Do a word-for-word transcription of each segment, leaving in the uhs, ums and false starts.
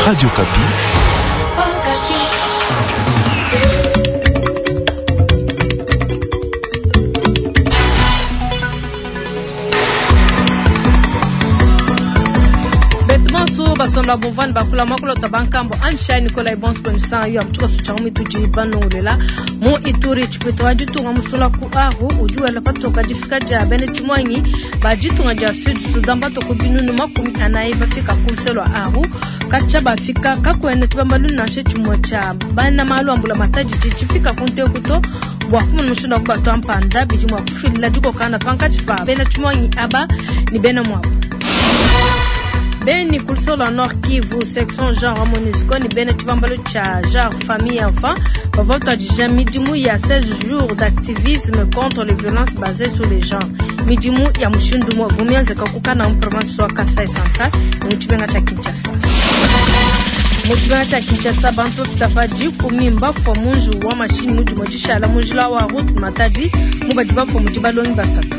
Radio Okapi. Betumansu basomba bumvani bakula mwakulota bankambo ansha Nikolai Bons Bonsan yo amtuka sucha mitudi banongolela mu Ituri chipito wa ditunga musula ku aru ujuela patoka difika dia bene chimwangi ba ditunga dia Sud Sudan batoko binunu makumi anayi bafika ku lwa aru kacha bafika kakwenda tibambalu nansha chimwe cha bana malu ambula matadi chifika kunte kuto bua kumona mushindu wa kubatwa mpanda bidi mua kufilila dikokana pankatshi pa bena chimwangi aba ni bena muabu Beni kulusolo Nord Kivu section genre MONUSCO ni bena chibambalo cha genre famille enfant bavotwadija midimu ya seize jours d'activisme contre les violences basées sur les genres midimu ya mushindu mwa vumianzeka kukana mu province wa Kasai Central ni muchibenga cha Kinshasa muchibenga cha Kinshasa bantu bafita dikumi mbafua munju wa mashini mudimu dishala munjila wa route Matadi mubadi bafua mudi balongi basatu.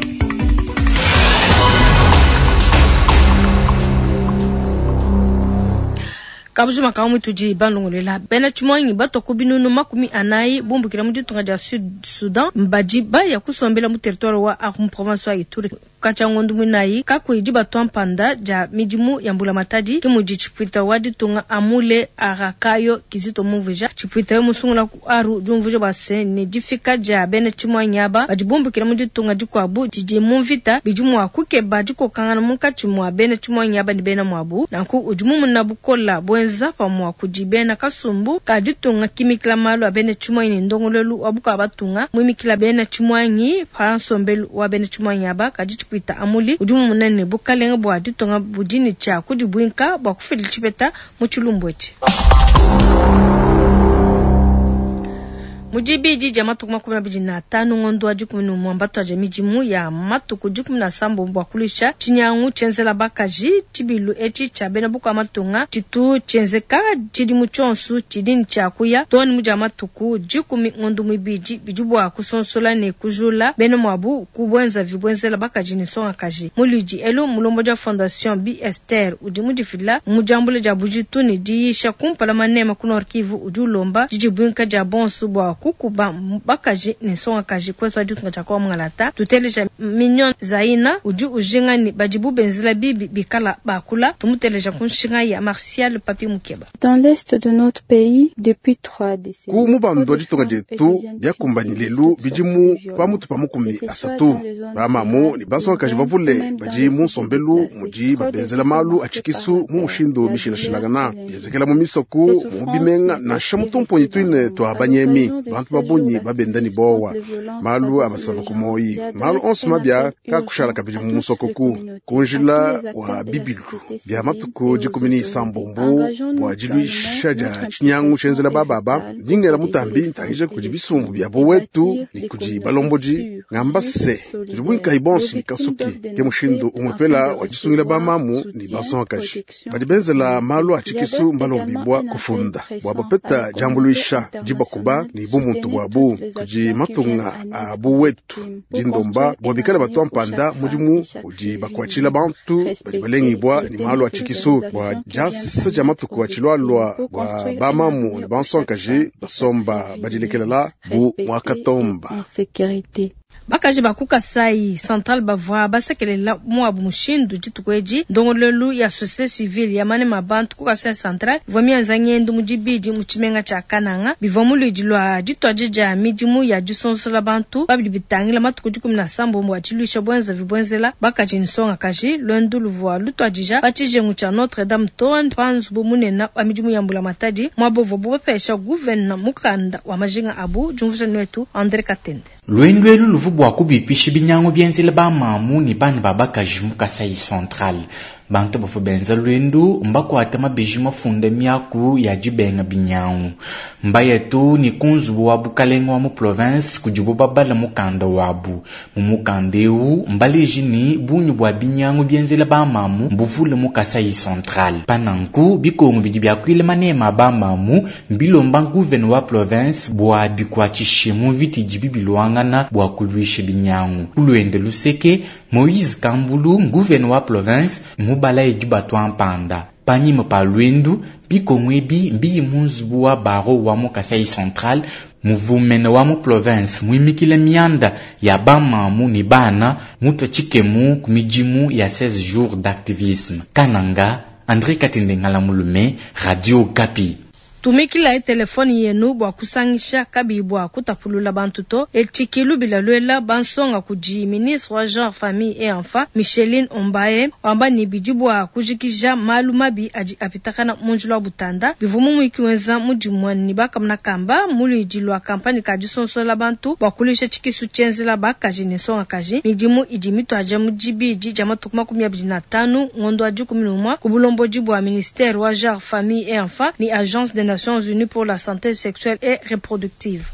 Kabujuma kamu tudi balongolela bena chimwangi batoko binunu makumi anayi bumbukila mu ditunga dia Sud Sudan mbadi baya kusombela mu territoire wa Aru province wa Ituri kacha ngondu munayi kakuidi batwa mpanda dia midimu ya mbula matadi kimudi chipwita wa ditunga amule arakayo kizito mumvuja chipwita yo musungula ku Aru diumvuja base ne difika dia bena chimwangi aba badi bumbukila mu ditunga dikuabu didi mu mvita bidi mua kukeba dikokangana munkatshi mua bena chimwangi aba ne bena muabu nanku udi mumuna bukola bwenza pamua kudi bena kasumbu ka ditunga kimikila malu a bena chimwangi ne ndongolelu wa buka batunga muimikila bena chimwangi pa nsombelu wa bena chimwangi aba kadi chipwita amuli udi mumunene bukalenga bua ditunga budini tshia kudibwinka bua kufila tshipeta mu tshilumbu etshi. Mudibidi dia matuku makumi abidi na tanu ngondo wa dikumi ne umue mbatwaje midimu ya matuku dikumi na sambo bua kulisha tshinyangu tshienzela bakaji tshibilu etshi tshia bena buka matunga tshitu tshienzeka tshidimu tshionso tshidini tshia kuya toni mudia matuku dikumi ngondo muibidi bidi bua kusonsola ne kujula bena muabu kubwenza vibwenzela bakaji ne nsongakaji muludi elu mulombo dia fondation B Esther udi mudifila mujambule dia bujitu ne diyisha kumpala manema ku Nord Kivu udi ulomba didibwinka dia bonso bua kukuba bakaji ne nsongakaji kweswa ditunga tshia kwa mwangalata tuteleja Mignon Zaina udi ujinga ni badibu benzela bibi bikala bakula tumuteleja kunshinga ya Martial Papi Mukeba. Dans l'est de notre pays depuis trois décennies. Ku mubando wa ditunga dietu diakumbani lelu bidimu pamutu pa mukumi asatu bamamu ne bansongakaji bavule badi mu nsombelu mudi babenzela malu atshikisu mu mushindu mishilashilangana bienzekela mu misoku mu bimenga nansha mutumponyi tuine twa banyemi bantu babunyi babenda ni bowa malu abasaba kumoyi malu onso mabya kakushala kabidi mu musokoku kunjila wa bibilu bya matuku dikumi ni isambombo bua diluisha dia tshinyangu tshienzela bababa dingela mutambi ntangije kudi bisumbu bya bowetu ni kudi balombodi ngamba se tudi buinkayi bonso ni kasuki ke mushindu umwepela wa disungila bamamu ni bansongakaji badi benzela malu a tshikisu mbalombibwa kufunda bua bapeta diambuluisha dibakuba ni bumuntu bwabu kudi matunga a buwetu dindomba bua bikale batwa mpanda mudimu udi bakuatshila bantu badi balengibwa ni malu a tshikisu bua diasa dia matuku a tshilwalwa bua bamamu ne bansongakaji basomba badilekelela bu muakatomba. Bakaji ba ku Kasai Central bavua basekelela muabu mushindu dituku edi ndongolelu ya société civile ya manema bantu ku Kasai Central ivua mienza ngendu mu dibidi mu tshimenga tshia Kananga bivua muludi lua dituadi dia midimu ya disonsola bantu babidi bitangila matuku dikumi na sambo bua diluisha bwenza vibwenzela bakaji ne nsongakaji lwendu luvua lutuadija pa tshijengu tshia Notre Dame to pa nzubu munene wa midimu ya mbula matadi muabu uvua bupesha guvena mukanda wa majinga abu diumvuija netu André Katende. Lwendu elu luvu bua kubipisha binyangu bienzela bamamu ne bana ba bakaji mu Kasai Central. Bantu bavua benza lwendu mbakuata mabeji mafunda miaku ya dibenga binyangu mbayetu ni kunzubu wa bukalenga wa mu province kudibo babala mukanda wabu mu mukanda ewu mbaleji ni bunyu bua binyangu bienzela bamamu mbuvule mu Kasai Central pananku bikongo bidi biakuile manema bamamu mbilomba guvene wa province bua bikuatshishe mu mvita idi bibilwangana bua kulwisha binyangu kulwende luseke Moïse Kambulu guvene wa province mubala edi batwa mpanda. Panyima pa lwendu, bikongo ebi mbiyi mu nzubu wa baro wa mu Kasai Central, muvumene wa mu province muimikile mianda ya bamamu ne bana mutwe tshikemu ku midimu ya seize jours d'activisme. Kananga, André Katende Ngala Mulume, Radio Okapi. Tumikilayi telefone yenu bua kusangisha kabiyi bua kutapulula bantu to. Etshi ki lubila luela bansonga kudi ministre wa genre, famille et enfants Micheline Ombaye, wamba ne bidi bua kujikija malu mabi adi apitakana mu njila wa butanda. Bivua mu muyiki wenza mudimu ne bakamuna kamba mu luidi lua kampanye ka disonsola bantu bua kuluisha tshikisu tshienzela bakaji ne nsongakaji. Midimu idi mituadija mu dibidi dia matuku makumi abidi na atanu ngondo wa dikumi ne umue ku bulombodi bua ministère wa genre, famille et enfants ne agence des Nations Unies pour la santé sexuelle et reproductive.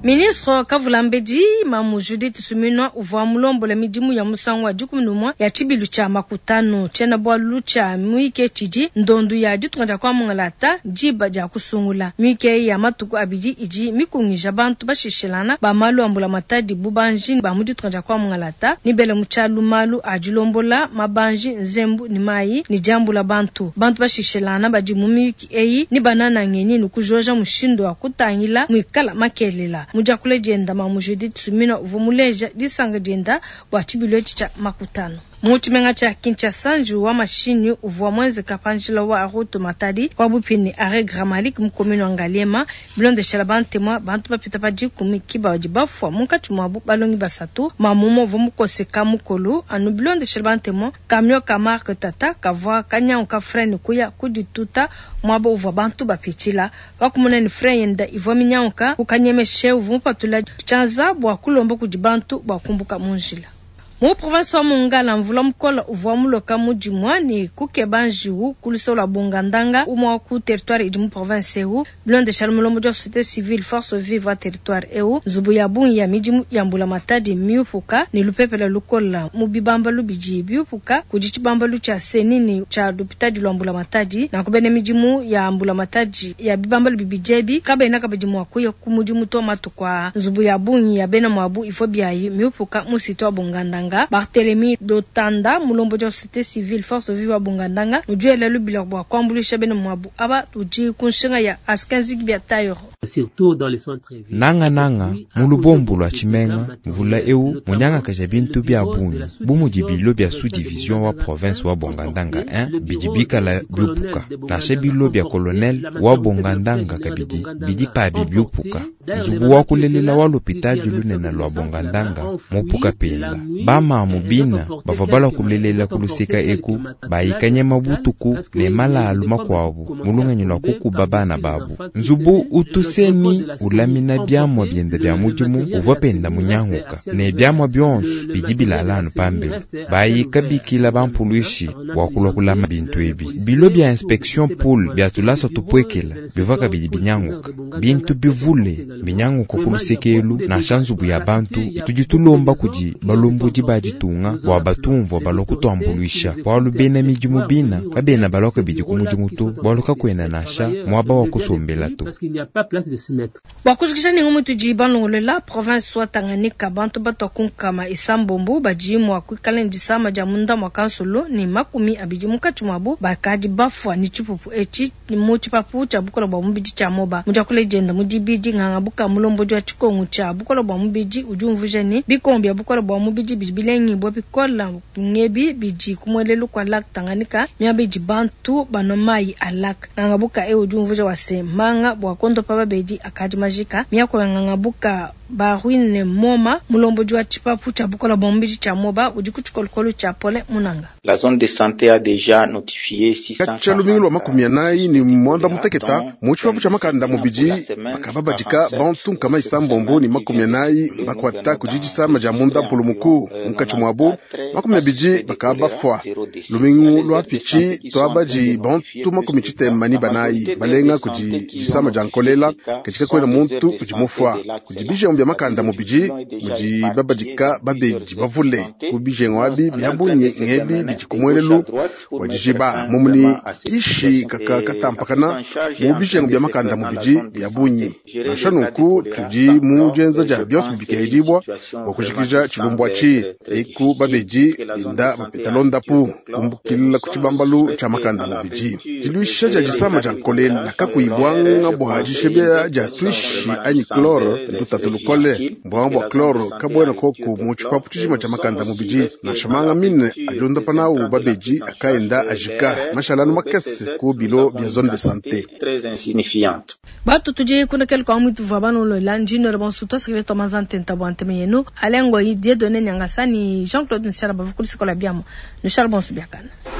Ministre Kavulambedi Mamu Judith Suminwa uvua mulombola midimu ya musangu wa dikumi ne umue ya tshibilu tshia makutano. Tshiena-bualu tshia muyike tshidi ndondu ya ditunga dia kuamungalata diba dia kusungula. Muyike ya matuku abidi idi mikungija bantu bashishilana ba malu a mbulamatadi bubanji ba mu ditunga dia kuamungalata ni bele mu tshialu malu a dilombola mabanji nzembu ni mayi ni diambula bantu. Bantu bashishilana badi mu miyuki eyi ni banana ngenyi ni kujoja mushindu wa kutangila muikala makelela. Mujakule dienda Mamu Judith Suminwa uvua muleja disanga dienda bua tshibilu etshi tshia makutano. Mu tshimenga tshia Kinshasa, njiwu wa mashinyi uvua muenzeka pa njila wa route Matadi wa bupini arrêt Gramalik mu commune wa Ngaliema. Bilondeshela bantemwa bantu bapita pa dikumi ki badi bafua munkatshi muabu balongi basatu. Mamu uvua mukoseka mukolo anu bilondeshela bantemwa camion ka marque Tata kavua kanyangu ka frein kuya kudituta muaba uvua bantu bapitshila. Wakumona ni frein yenda ivua minyanguka kukanyemeshe uvua mupatula tshianza bua kulomba kudi bantu bua kumbuka mu njila. Mu province wa Mongala, mvula mukola uvua muloka mudimua ne kukeba njiwu ku lusolo lua Bongandanga umue wa ku territoire idi mu province eu. Bilondeshela mulombodi wa société civile force vive wa territoire eu, nzubu ya bungi ya midimu ya mbulamatadi miupuka ne lupepele lukola mu bibambalu bidi biupuka kudi tshibambalu tshia senini tshia lupitadi lua mbulamatadi. Nanku bena midimu ya mbulamatadi ya bibambalu bibidi ebi kabena kabidi mua kuya ku mudimu to matuku aa. Nzubu ya bungi ya bena muabu ivua biayi miupuka mu site wa Bongandanga. Barthélemy Dotanda mulombodi wa société civile force vive wa Bongandanga udiela lubila bua kuambuluisha bena muabu aba udi ku nshinga ya askenzik bia tayoro. Nanga nanga mu lubombo lua tshimenga mvula eu munyangakaja bintu bia bungi bu mudi bilo bia sous-division wa province wa Bongandanga un bidi bikala biupuka nansha bilo bia colonel wa Bongandanga kabidi bidi pabi biupuka. Nzubu wa kulelela wa lopitadi lunene lua Bongandanga mupuka penda bamamu bina bavua balua kulelela kuluseka eku bayikanye mabutuku ne malalu makuabu mulunganyi lua kukuba bana babu. Nzubu utuseni ulamina biamua bienda bia mudimu uvua penda munyanguka ne biamua bionso bidi bilala anu pambelu bayika bikila bampuluishi bua kulua kulama bintu ebi. Bilo bia inspection pool bia tulasa tupwekela bivua kabidi binyanguka bintu bivule binyanguka kulusekelu nansha nzubu ya bantu tudi tulomba kudi balombodi ba ditunga bua batumvua balua kutuambuluisha bualu bena midimu bina kabena balua kabidi ku mudimu to bualu kakuena nansha muaba wa kusombela to. Bua kujikija ne ngumu tudi balongolola province wa Tanganyika bantu batua kunkama isambombo badi mua kuikala ne disama dia munda mua kansolo ne makumi abidi munkatshi muabu bakadi bafua ne tshipupu etshi mu tshipapu tshia bukola bua mubidi tshia moba. Mu diakula dienda mu dibidi nganga buka mulombodi wa tshikongu tshia bukola bua mubidi udi umvuija ne bikongo bia bukola bua mubidi bidi bilengibua bikola ngebi bidi kumuelelu kwa lac Tanganyika miaba idi bantu banua mayi a lac. Nganga buka eu udi umvuija wa se manga bua kondopa babedi akadi majika miako ya nganga buka Barwine Moma mulombodi wa tshipapu tshia bukola bua mubidi tshia moba udi ku tshikolokolo tshia Pole Munanga. La zone de santé a déjà notifié six cent Katshia lumingu lua makumi anayi ne mwanda muteketa mu tshipapu tshia makanda mubidi bakababadika bantu nkama isambombo ne makumi anayi bakwata kudi disama dia munda mpulumuku munkatshi muabu makumi abidi bakabafua. Lumingu lua pitshi tuabadi bantu makumi tshitema ne banayi balenga kudi disama dia nkolela katika kwena muntu udi mufua kudi bijengu bijengu bia makanda mubidi mudi babadika babedi bavule ku bijengu abi bia bungi ngebi bidi ku muelelu wa dijiba mumuni kishi kaka katampakana mu bijengu bia makanda mubidi bia bungi nansha nunku tudi mu dienza dia bionso bibikehedibua bua kujikija tshilumbu atshi eku babedi binda bapeta londapu kumbukila ku tshibambalu tshia makanda mubidi diluisha dia disama dia nkolela kakuyi bwanga bua dishebea dia twishi anyi chlore ndutatu lukole bwanga bua chlore kabwena koku mu tshipapu tshijima tshia makanda mubidi nansha manga mine adiondapa nawu babedi akaenda ajika mashalanu makese ku bilo bia zone de santé Très insignifiante. Batu tudi kuna kele kwa mwitu vwa banu lola njino le bonsu to sekreto mazante ntabwa nteme yenu alengo yi Dieudonné Nyangasani Jean-Claude Nshala bavukulu sikola biamo Nushala bonsu biakana.